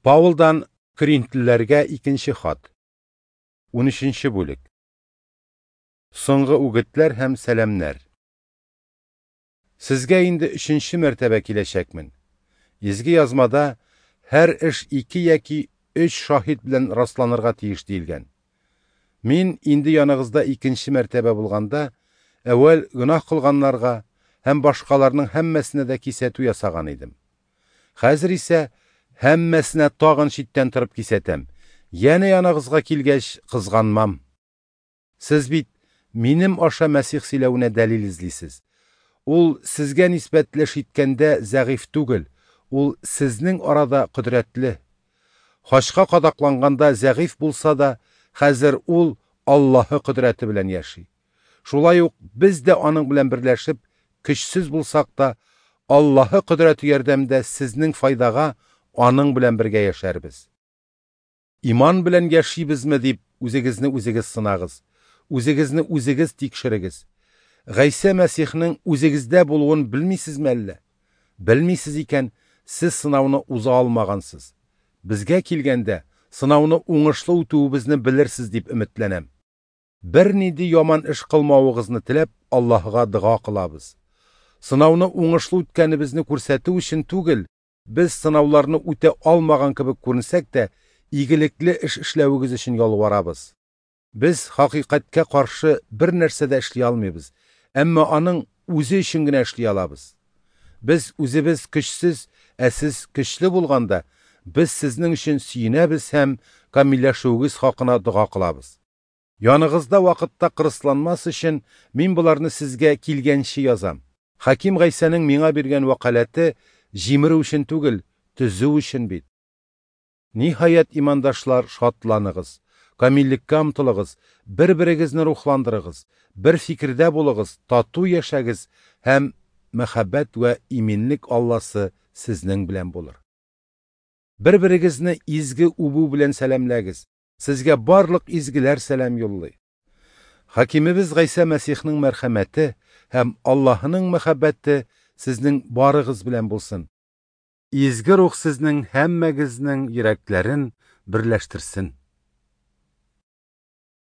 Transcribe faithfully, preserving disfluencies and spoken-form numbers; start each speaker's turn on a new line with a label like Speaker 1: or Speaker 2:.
Speaker 1: Паулдан Коринфлеләргә икенче хат. Унөченче бүлек. Соңгы үгетләр һәм сәламнәр. Сезгә инде өченче мәртәбә киләчәкмен. Изге язмада һәр эш ике яки өч шаһит белән расланырга тиеш диелгән. Мин инде яныгызда икенче мәртәбә булганда, әүвәл гөнаһ кылганнарга һәм башкаларның һәммәсенә дә кисәтү ясаган идем. Хәзер исә һәммәсенә тагын читтән торып кисәтәм. Янә яныгызга килгәч, кызганмам. Сез бит минем аша Мәсих сөйләвенә дәлил эзлисез. Ул сезгә нисбәтле эш иткәндә зәгыйфь түгел, ул сезнең арада кодрәтле. Хачка кадакланганда зәгыйфь булса да, хәзер ул Аллаһы кодрәте белән яши. Шулай ук без дә аның белән берләшеп, көчсез булсак та, Аллаһы кодрәте ярдәмендә сезнең файдага аның белән бергә яшәрбез. Иман белән яшибезме дип үзегезне үзегез сынагыз, үзегезне үзегез тикшерегез. Гайсә Мәсихнең үзегездә булуын белмисезме әллә? Белмисез икән, сез сынауны уза алмагансыз. Безгә килгәндә, сынауны уңышлы үтүебезне белерсез дип өметләнәм. Бернинди яман эш кылмавыгызны теләп, Аллаһыга дога кылабыз. Сынауны уңышлы үткәнебезне күрсәтү өчен түгел, без сынауларны үтә алмаган кебек күренсәк тә, игелекле эш эшләвегез өчен ялварабыз. Без хакыйкатькә каршы бер нәрсә дә эшли алмыйбыз, әмма аның үзе өчен генә эшли алабыз. Без үзебез көчсез, ә сез көчле булганда, без сезнең өчен сөенәбез һәм камилләшүегез хакына дога кылабыз. Яныгызда вакытта кырысланмас өчен мин боларны сезгә килгәнче язам. Хаким Гайсәнең миңа биргән вәкаләте җимерү өчен түгел, төзү өчен бит. Ниһаять, имандашлар, шатланыгыз, камиллеккә омтылыгыз, бер-берегезне рухландырыгыз, бер фикердә булыгыз, тату яшәгез һәм мәхәббәт вә иминлек Алласы сезнең белән булыр. Бер-берегезне изге үбү белән сәламләгез. Сезгә барлык изгеләр сәлам юллый. Хакимебез Гайсә Мәсихнең мәрхәмәте һәм Аллаһының мәхәббәте сезнең барыгыз белән булсын. Изге рух сезнең һәммәгезнең йөрәкләрен берләштерсен.